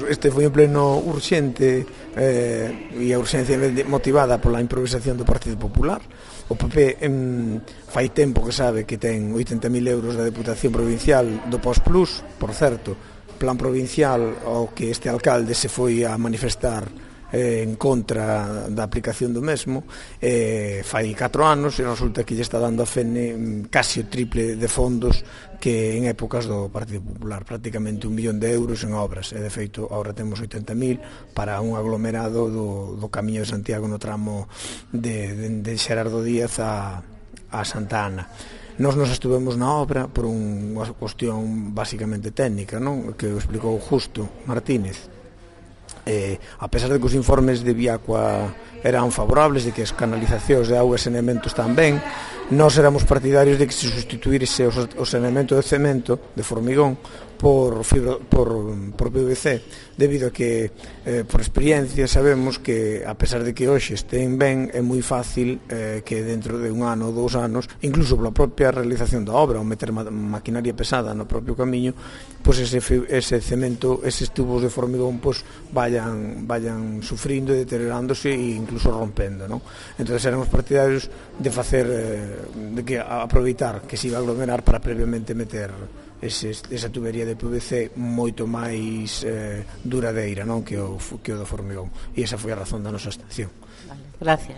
este foi en pleno urxente, e a urxencia motivada pola improvisación do Partido Popular. O PP fai tempo que sabe que ten 80.000 euros da Deputación Provincial do Postplus, por certo, plan provincial ao que este alcalde se foi a manifestar en contra da aplicación do mesmo, fai 4 anos, e resulta que lle está dando a FENE casi o triple de fondos que en épocas do Partido Popular, prácticamente 1 millón de euros en obras, e de feito agora temos 80.000 para un aglomerado do Camiño de Santiago no tramo de Xerardo Díaz a Santa Ana. Nós nos estuvemos na obra por unha cuestión basicamente técnica, non? Que o explicou Justo Martínez. A pesar de que os informes de Viacua eran favorables, de que as canalizacións de auga e saneamento están ben, nós éramos partidarios de que se sustituírse o saneamento de cemento, de formigón, por PVC, debido a que, por experiencia, sabemos que, a pesar de que hoxe estén ben, é moi fácil que dentro de 1 ano ou 2 anos, incluso pola propia realización da obra, ou meter maquinaria pesada no propio camiño, pois ese cemento, eses tubos de formigón, pois vayan sufrindo e deteriorándose e incluso rompendo, non? Entón, éramos partidarios de facer, de que aproveitar que se iba a aglomerar para previamente meter esa tubería de PVC moito máis duradeira, non, que o do formigón, e esa foi a razón da nosa abstención. Vale, gracias.